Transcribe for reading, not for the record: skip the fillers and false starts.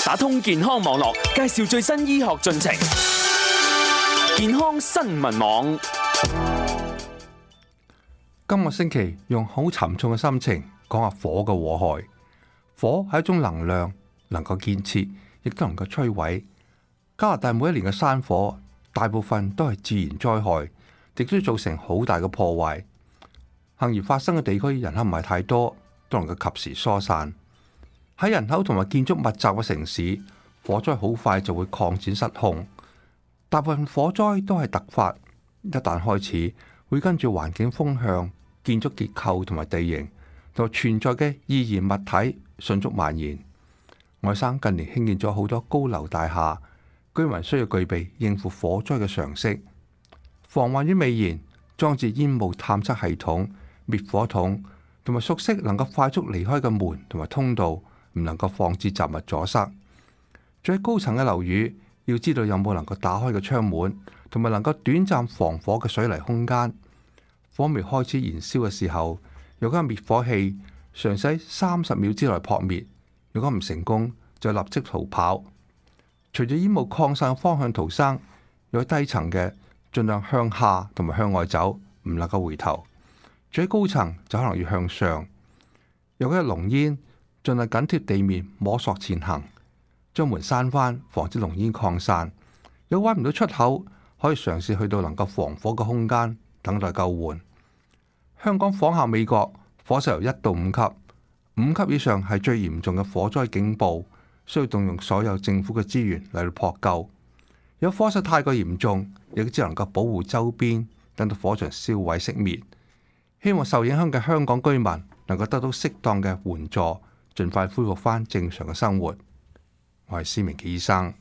打通健康網絡，介紹最新醫學進程。健康新聞網，今個星期用好沉重嘅心情講下火嘅禍害。火係一種能量，能夠建設，亦都能夠摧毀。加拿大每一年嘅山火，大部分都係自然災害，亦都造成好大嘅破壞。幸而發生嘅地區人口唔係太多，都能夠及時疏散。喺人口同埋建築密集嘅城市，火災好快就會擴展失控。大部分火災都係突發，一旦開始，會跟住環境風向、建築結構同埋地形同存在嘅易燃物體迅速蔓延。外省近年興建咗好多高樓大廈，居民需要具備應付火災嘅常識。防患於未然，裝置煙霧探測系統、滅火筒，同埋熟悉能夠快速離開嘅門同埋通道，唔能夠放置雜物阻塞。最高層嘅樓宇，要知道有冇能夠打開嘅窗門，同埋能夠短暫防火嘅水泥空間。火苗開始燃燒嘅時候，有間滅火器嘗試喺30秒之內撲滅。如果唔成功，就立即逃跑。隨住煙霧擴散嘅方向逃生，有低層嘅盡量向下同埋向外走，唔能夠回頭。最高層就可能要向上。有嗰啲濃煙盡量緊貼地面摸索前行，將門閂翻，防止濃煙擴散。有揾唔到出口，可以嘗試去到能夠防火嘅空間，等待救援。香港仿效美國，火勢由1到5級。5級以上係最嚴重嘅火災警報，需要動用所有政府嘅資源嚟到撲救。有火勢太過嚴重，亦只能夠保護周邊，等到火場燒毀熄滅。希望受影響嘅香港居民能夠得到適當嘅援助，盡快恢復翻正常嘅生活。我係施明傑醫生。